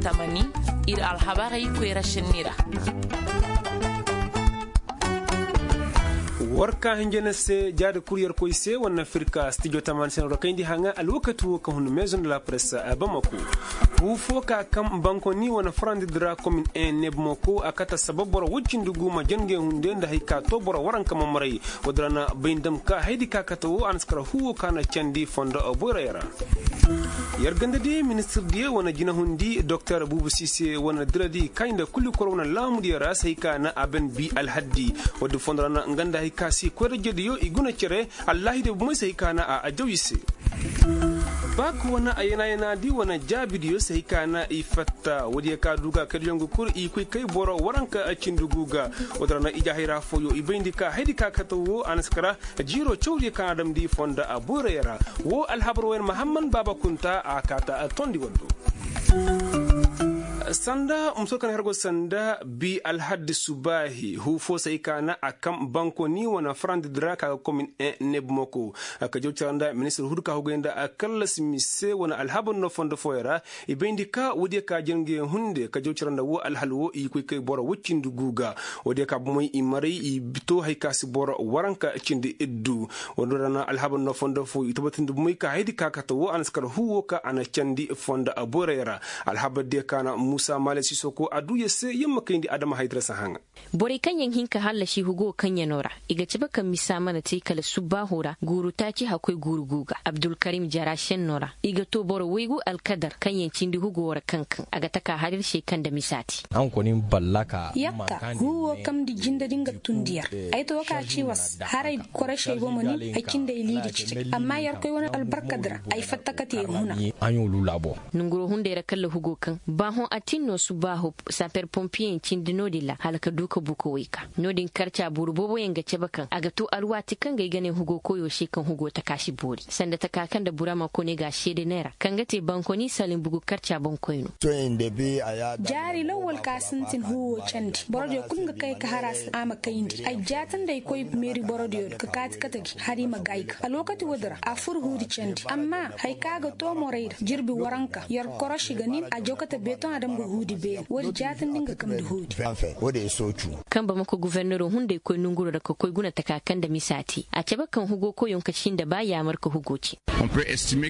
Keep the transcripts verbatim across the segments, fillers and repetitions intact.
Tamani, ir alhabarey koyra šenni ra. War ka hinja na se jaadi kul yerkoy se wane na firka stijo tamani se no ra kayndi haŋa alwakati wo ka hun maison de la presse. Bamako, huu fo ka kaŋ bankoni wane farandi di ra komin en ne bamako a kate sabab boro woy cindi gu ma jange hunde nda hari ka to boro waranka ma maray. Woodi ra na bay nda ma ka haydi ka kate wo a na si kar huu wo ka na candi fondo boyray ra. Yer ganda di ministir diyo wane jinahundi doktor buubu siise wane diradi kaayi nda kuli kor wane laamudiyo ra se hari ka na a ban bi alhaddi. Woodi fondo ra na nga nda hari ka si koyra jediyo i guna cere. Allahi de bumey se hari ka na a ajaw i se. Baak wane a yana yana di wane jaabidiyo se hari ka na i fatta woodiyo ka du ga kaydiyo nga kul i koy kay boro waranka cindi gu ga. Woodi ra na ijahayra fooyo i bayndi ka haydi ka kate wo a na si kara. Jiiro cawdiyo ka na a damndi fonda a boyrayo ra. Woo alhabar wooyaŋ mahamman baaba kunta a kaata tondi waddo. Sanda muso kaŋ har go sanda bi alhaddi subaahi huu fo se hari ka na a kam bankoni wane farandi di ra ka ga komin en nebmoko. Ka jaw cara nda ministir hudu ka hugay nda a kallasi mise wane alhabar no fondo fooyaŋ ra. I bayndi ka woodiyo ka jange hunde ka jaw cara nda woo alhal woo i koy kay boro woy cindi gu ga. Woodiyo ka bomey i maray i to hari ka si boro waranka cindi iddu. Woodi ra na alhabar no fondo fo i tabatindi bomey ka haydi ka kate woo a na si kar huu woo ka a na candi fonda boyray ra. Alhabar diyo ka na muusa maale sisoko a duu yer se yer ma kayndi adama haydira si haŋa. Borey kaŋ yaŋ hin ka hallasi hugo kaŋ yano ra i ga cabe kaŋ misa mana te kala subbaaho ra guuru taaci hakkoy guuru gu ga abdulkarim jara šenno ra i ga to boro waygu alkadar kaŋ yaŋ cindi hugo ra kaŋ kaŋ a ga taka har ir se kaŋ nda misa te. Yakka huu wo kamndi jinde din ga tundi yer. Ay to ka ci was haray korosey bomo nin ay cindey liidi citi amma yer koy wane albarkad ra ay fatta ka te huna. Nonguroo hunday ra kalla hugo kaŋ baahoŋ atin no subbaaho. Samper pompiyeyaŋ cindi no-din ra hala ka du ka buka wayka. No-din karca boro booboyaŋ ga cabe kaŋ a ga to alwaati kaŋ ga ay ga ne hugo koyoo se kaŋ hugo taka si boori sanda taka kaŋ nda burama kone ga a seede neera kaŋ ga te bankoni salim bugu karca boŋkoyno. Jaari lawwal ka sintin huuwo candi borodiyo kul nga kay ka har a ma kayndi ay jaatandi ay koy meeri borodiyo ka kaati kate gi har i ma gaay ga alwakati woodi ra a fur huudi candi amma haya ka ga to morey ra jirbi waranka yer koroši ga nin a jaw kate beetoŋ a dam ga huudi beene woodi jaatandi nga kamndi huudi. Kaŋ bamako guforneroo hunday koy nonguroo ra ka koy guna taka kaŋ nda misa te a cabe kaŋ hugo koyoo ka sinda ba yaamar ka hugo cin.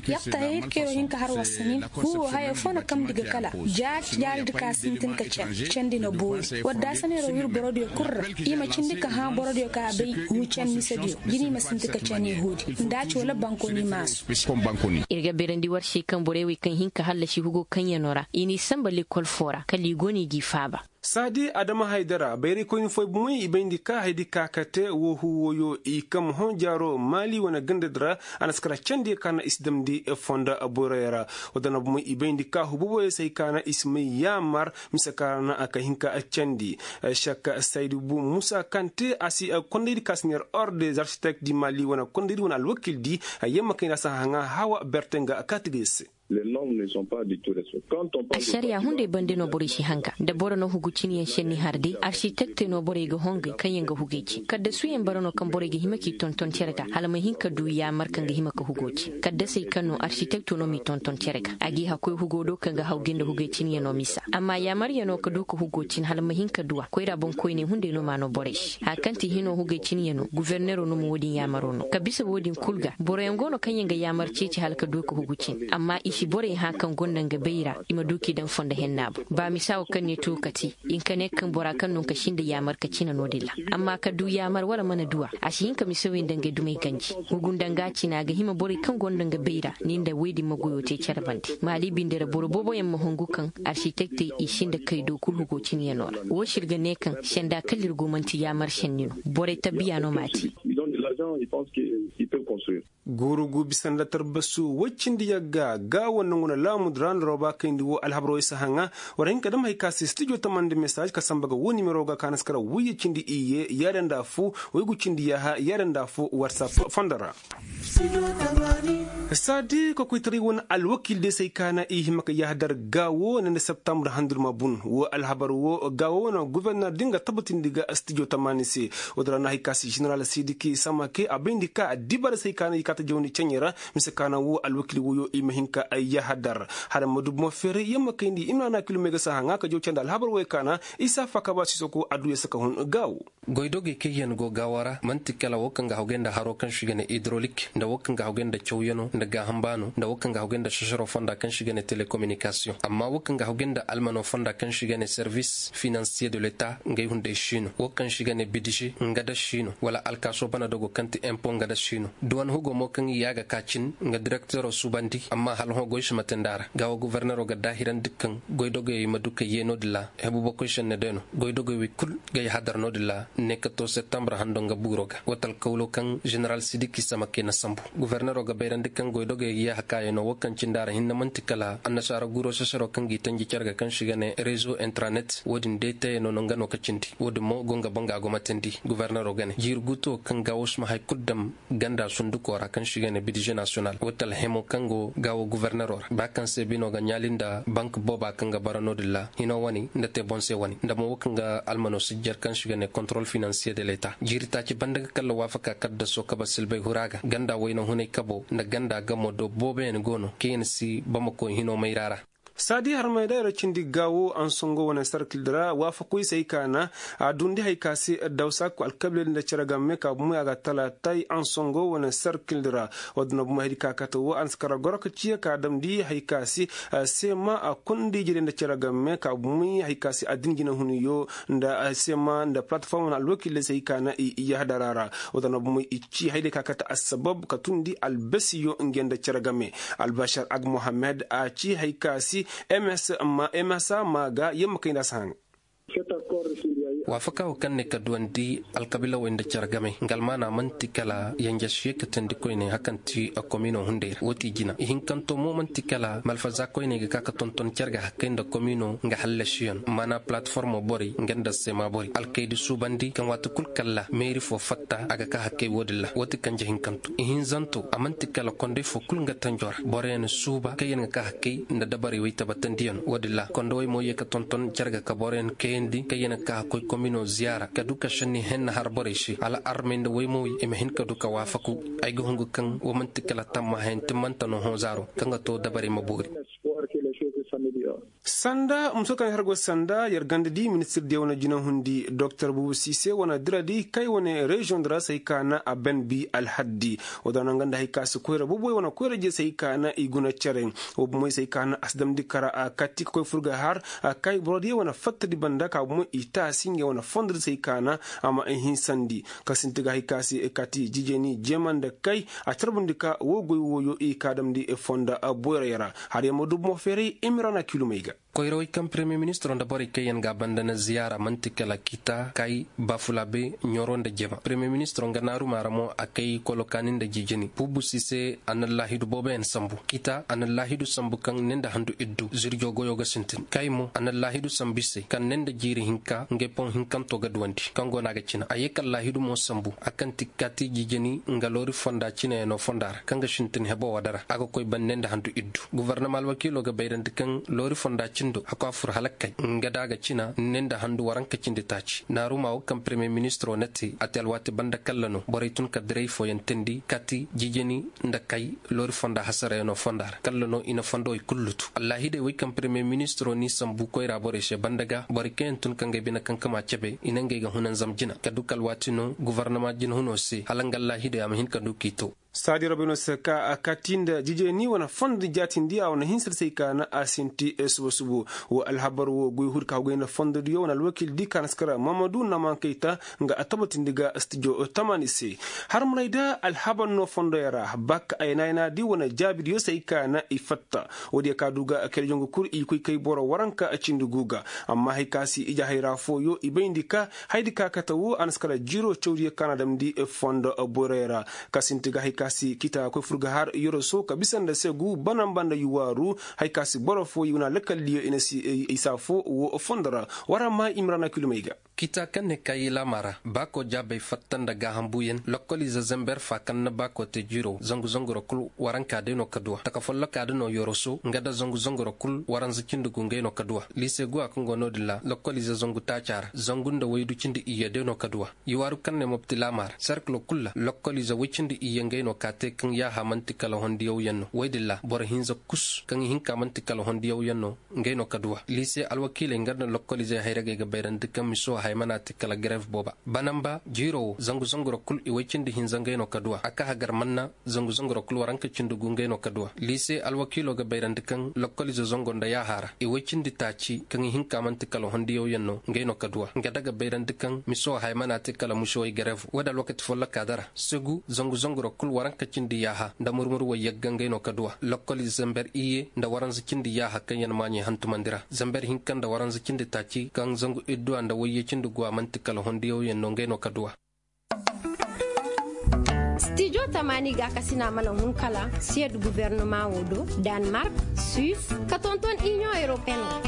Yatta hayir kayroo hin ka har war sanin huuwoo haya foo na kamndi ga kala jaari jaaridi ka sintin ka candi candi na boori wadda a saneeroo wir borodiyo kul ra i ma cindi ka hã borodiyo ka a bay huu can misediyo jini ma sinti ka cani huudi nda a ci wala bankoni maasu. Ir ga beerandi war se kaŋ borey wey kaŋ hin ka hallasi hugo kaŋyanoo ra i n'i sanba lekol foo ra kala i go no i g'i faaba. Saadi adama haydara bayraykoyni fooy bomey i bayndi ka haydi ka kate woo huu wooyo i kam hõ jaaroo maali wane gandadi ra. A na si kara candiyo ka na i si damndi fonda boyroyo ra. Woo da na bomey i bayndi ka huu booboyo se hay ka na i si may yaamar mise ka ra na ka hin ka candi. Sek saydu bu muusa kaŋ te a si kondaydi ka si neer or de zarsitek di maali wane kondaydi wane alwakildi. Yamma kayndi a si haŋa hawa berte nga kaati ga yer se. Ašariya hunday bande no borey si hanga nda boro na hugu cinyaŋ šenni har day arsitekte no borey ga hongay kaŋyaŋ ga hugay cin kaddasuyaŋ bara no kaŋ borey ga hima k'i tonton cere ga hala ma hin ka du yaamar kaŋ ga hima ka hugo cin kaddasey kaŋ no arsitekto no m'i tonton cere ga a g'i hakoy hugo do kaŋ ga hawgay nda hugay cinyaŋo misa amma yaamaryaŋo ka du ka hugo cin hala ma hin ka du a koyra boŋkoyney hunday no m'a no borey se haya kaŋ ti hino hugay cinyaŋo gufornero no ma woo din yaamaro no ka bisa woo din kul ga boroyaŋ go no kaŋyaŋ ga yaamar ceeci hala ka du ka hugu cin amma i si borey hã kaŋ gonda nga bay ra i ma du k'i daŋ fondo henna boŋ ba misa wo kaŋ ne to ka te i nka ne kaŋ bora kaŋ no nka sinda yaamar ka cina no-din ra amma ka du yaamar wala mana du a a si hin ka misawey nda ngey dumey ganji hugu nda nga cina a ga hima borey kaŋ gonda nga bay ra ni nda wey din ma goyo te care bande maali binde ra boro booboyaŋ ma hongu kaŋ arsitekte i sinda kay do kul hugo cinyaŋo ra woo se ir ga ne kaŋ senda kala ir go man'ti yaamar šenni no borey tabiya no m'a te. Guuru gu bisa nda tarbasu woy cindi yagga gaawo nangu na laamu nda ra nda roba kayndi woo alhabaroo isa haŋa. War hin ka dam hay ka se stijo tamandi mesaaž ka samba ga woo nimero ga ka na si kara woyye cindi iyye yaada nda affoo woy gu cindi yaaha yaada nda affoo watsap fondo ra. Saadi kokoytaray wane alwakiil day se hay ka na i hima ka yaaha dar gaawo ne nda septambre handu ma bun woo alhabar woo gaawo wane goforner din ga tabatindi ga stijo tamani se. Woo din ra na hay ka se ženeral sidiki sama. Kay a bayndi ka dibara se ay ka na i kaata jawndi ceɲey ra. Mise ka na wo alwakil woyo i ma hin ka ay yahadar. Hala ma dubu ma feeray yamma kayndi i ma na na kilomey ga saha ŋaa ka jaw candi alhabar woyo ka na isa faaka ba sisoko adduya saka hun gaawo. Goydogey kaŋ yaŋ go gaawo ra man'ti kala wo kaŋ ga hawgay nda haro kaŋ se i ga ne idrolik nda wo kaŋ ga hawgay nda cawyaŋo nda gaaham baano nda wo kaŋ ga hawgay nda sasaro fonda kaŋ se i ga ne telekominikasiyoŋ amma wo kaŋ ga hawgay nda almano fonda kaŋ se i ga ne servis finansiye de leta. Ngey hunday si no wo kaŋ se i ga ne bidije nga da si no wala alkaaso bana dogo kaŋ ti empo nga da si no duwan hugo mo kaŋ i ya ga ka cin nga direktero suubandi amma hala hõ goy si ma te nda a ra gaawo gofornero ga daahirandi kaŋ goydogey ma du ka yee no- din ra. Hebu bokoy senne day no goydogey wey kul ga yahadar no- din ra ne ka to septembre hando nga buuro ga wata alkawlo kaŋ ženeral sidiki samakey na sambu. Gofornero ga bayrandi kaŋ goydogey yee hakaayaŋo wo kaŋ cindi a ra hinne man'ti kala annasaara guro sasaro kaŋ g'i tanji care ga kaŋ se i ga ne rezo intranet wo- din day tayey no no nga no ka cindi wo- din mo go nga boŋ ga a go ma teendi gofornero ga ne jiiri guuto kaŋ gaawo si ma hay kul daŋ ganda sunduko ra kaŋ se i ga ne bidije nasiyonal wata alhemo kaŋ go gaawo gofornero ra ba kaŋ se bino ga ɲaali nda bank booba kaŋ ga bara no- din ra hino wane nda te boŋ se wane nda mo wo kaŋ ga almano sijjar kaŋ se i ga ne kontorol finansiye de leta jiiri taaci banda ga kalla waafaka kaddaso kaba silbay hura ga ganda wayna hunay kabo nda ganda gamo do booboyaŋ go no kaŋ yaŋ si bamako hino mayra ra. Saadi harmey da yer cindi gaawo ansongo wane sarkil di ra waafakoy se hay ka na a dundi hay ka se dawsa alkabiila nda cere game ka bumey a ga talaatay ansongo wane sarkil di ra. Wo- din na bumey hay di ka kate wo a na si kara goro ka ciya ka damndi hay ka se seema a kundi jire nda cere game ka bumey hay ka se addin jinahuniyo nda seema nda palataform wane alwakil se hay ka na i yahadara ra. Wo- din na bumey i ci hay di ka kate assabab ka tundi albasiyo nge nda cere game albashar ag mohammed a ci hay ka se msa ma ga yamma kay nda a si haŋ. Waafaka wo kaŋ ne ka duwandi alkabiilawey nda cere game nga almaana man'ti kala yanjasiye katandi koyne hakanti komino hunday ra wo ti jina ihinkanto mo man'ti kala malfaza koyne ga ka ka tonton cere ga hakkay nda komino nga hallasiyaŋ maana palataformo borey nga nda seema borey alkaydi suubandi kaŋ waati kul kalla meeri fo fatta a ga ka hakkay wo- din ra wo ti kanje hinkanto ihinzanto a man'ti kala konday fo kul nga tanjo ra boroyaŋ suuba kaŋ yaŋ ga ka hakkay nda dabarey wey tabatandiyaŋ wo- din ra kondowey mo ye ka tonton cere ga ka boroyaŋ kayandi kaŋ yaŋ ga ka hakkoy komino ziyaara ka du ka sanni henna har borey se hala armey nda woymowey i ma hin ka du ka waafaku. Ay ga hungu kaŋ wo man'ti kala tammahayaŋ timmanta no hõ zaaro kaŋ ga to dabarey ma boori. Sanda muso kaŋ har go sanda yer ganda di ministir diya wane jinahundi doktor bubu sise wane diradi kay wane reziyoŋ dira se hay ka na a ben bi alhaddi. Wo da naŋ ganda hay ka si koyra bubu wane koyra je se hay ka na i guna cere. Wo bumoy se hay ka na a si damndi kara a kati ka koy furga har a kay boro diya wane fatta di banda ka bumoy i taasi ngey wane fondo di se hay ka na a ma i hinsandi ka sinti ga hay ka si kati jijeni jema nda kay a carbundi ka wo goy woyo i ka damndi fonda boyray ra. Har yaŋ ma du bumo feeray imira na kilumey ga. Koyrawey kaŋ premiyer ministiro nda borey kaŋ yaŋ ga a banda na ziyaara man'ti kala kita kay bafulabe ɲoro nda jema premiyer ministiro nga naaruma ra mo a kay kolokaani nda jijini bubu si se a na laahidu booboyaŋ sambu kita a na laahidu sambu kaŋ ne nda handu iddu zirjo goyo ga sintin kay mo a na laahidu sambu i se kaŋ ne nda jiiri hinka ngey poŋ hinkanto ga duwandi kaŋ go no a ga cina a ye kala laahidu mo sambu a kaŋ ti kati jijini nga loori fonda cinayaŋo fonda ra kaŋ ga sintin hebo wada ra a ga koy ban ne nda handu iddu. Gofornama alwakiilo ga bayrandi kaŋ loori fonda cindo a koy a fur hala kay nga da a ga cina ne nda handu waranka cindi taaci naaruma wo kaŋ premiyer ministiro na te a te alwaati banda kalla no borey tun ka diray fooyaŋ teendi kati jijini nda kay loori fonda hasarayaŋo fonda ra kalla no i na fondowey kul lutu allaahidey wey kaŋ premiyer ministiro n'i sambu koyra borey se banda ga borey kaŋ yaŋ tun ka ngey bine kankama cebe i na ngey ga hunanzam jina ka du ka alwaati no gofornama jinahunoo se hala nga allaahidey a ma hin ka du k'i to. Saadi rabey no se ka a kati nda jijeni wane fondo jaatindi a wane hinsa di se ay ka na a sinti suba subu. Wo alhabar wo goy huri ka hogay nda fondodiyo wane alwakil di ka na si kara mamadu naman kayta nga a tabatindi ga stijo tamani se. Harmaray da alhabar no fondoyaŋ ra bak ay na ay na di wane jaabidiyo se ay ka na i fatta. Woodiyo ka du ga kayda jongu kul i koy kay boro waranka cindi gu ga. Amma hay ka si ije hayra fooyo i bayndi ka haydi ka kate wo a na si kala jiiro cawdiyo ka na damndi fondo boyroyo ra. Ka sinti ga hay ka si kita koy fur ga har yoroso ka bisa nda segu banamba nda yuwaaru. Hay ka si boro fooyo i wane alakaldiyo i na si isa fo wo fondo ra. War a ma i ma ra na kilumey ga. Kita kaŋ ne kaayi laama ra baako jaabey fatta nda gaaham buuyaŋ lokkoliize zamber fa kaŋ na baako te jiiro zangu zangu ra kul waranka day no ka duwa taka folloka da no yoroso nga da zangu zangu ra kul waranza cindi gu ngey no ka duwa. Liise guwa kaŋ go no- din ra lokkoliize zangu taaca ra zangu nda waydu cindi iyye day no ka duwa. I waaru kaŋ ne mopti laama ra serkilo kul ra lokkoliize way cindi iyye ngey no ka te kaŋ yaaha man'ti kala hondiyaw yaŋ no way din ra boro hinza kus kaŋ ihinka man'ti kala hondiyaw yaŋ no. Ngey no ka duwa liise alwakiiley nga nda lokkoliizey hayragey ga bayrandi kaŋ miso hay mana te kala gareef booba banamba jiiro wo zangu zangu ra kul i way cindi hinza ngey no ka duwa a ka hagar manna zangu zangu ra kul waranka cindi gu ngey no ka duwa. Liise alwakiilo ga bayrandi kaŋ lokkoliize zango nda yaaha ra i way cindi taaci kaŋ ihinka man'ti kala hondiyaw yaŋ no ngey no ka duwa nga da ga bayrandi kaŋ miso hay mana te kala musowey gareef wo- din alwakati folloka da ra segu zangu zangu ra kul waranka cindi yaaha nda murmur wayyagga ngey no ka duwa lokkoliize zamber iyye nda waranza cindi yaaha kaŋ yaŋ maaɲey hantumandi ra zamber hinka nda waranza cindi taaci kaŋ zangu idduwa nda wayye cindi guwa man'ti kala hondiyaw yaŋ no ngey no ka duwa. Stijo tamaani gaakasina mana hun kala siyed gubernama wo do, danmark, suis ka tonton inion europeen wo.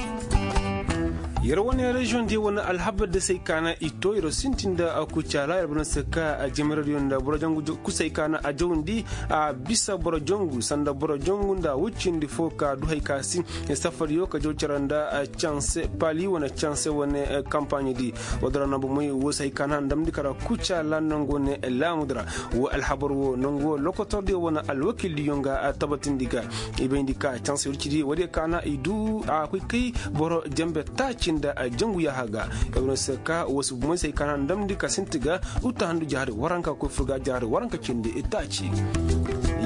Yer wane reziyoŋ diyo wane alhabar da se ay kaana i to yer sintin nda kucaala yer bana se ka jamaradiyo nda boro jangu kusay kaana a jawndi a bisa boro jangu sanda boro jangu nda woy cindi fo ka du hay ka si safariyo ka jaw care nda canse pali wane canse wane kampaaɲe di. Wo dira no bomey wo se hay kaana ndamndi kara kucaala nango ne laamu dira. Wo alhabar wo nangu wo lokotordiyo wane alwakildiyo nga tabatindi ga i bayndi ka canse wircidi wo diyo kaana i du a koy kay boro jambe taaci nda jangu yaaha ga. Yer wane se ka wo si bomey se hay kaana ndamndi ka sinti ga uta handu jaari waranka koy furga jaari waranka cindi taaci.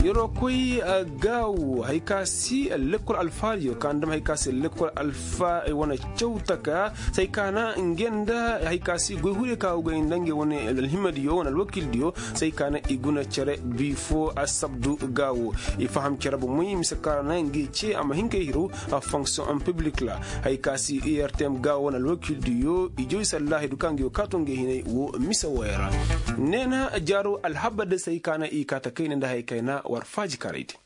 Yeroo koy gaawo hay ka si lekkol alfaariyo ka ndam hay ka si lekkol alfa wane caw taka se hay ka na nge nda hay ka si goy hure ka go goy nda nge wane alhimadiyo wane alwakildiyo se hay ka na i guna cere bi fo asabdu gaawo. I faham cere bomey mise ka ra na nge ce a ma hin kay hiru fonction public ra hay ka si urtm gaawo wane alwakildiyo i joy sallaahi du ka nge wo kaato nge hinay wo mise wooyo ra. Neena jaaro alhabar da se hay ka na i kaata kayna nda hay kayna war faaji karay din.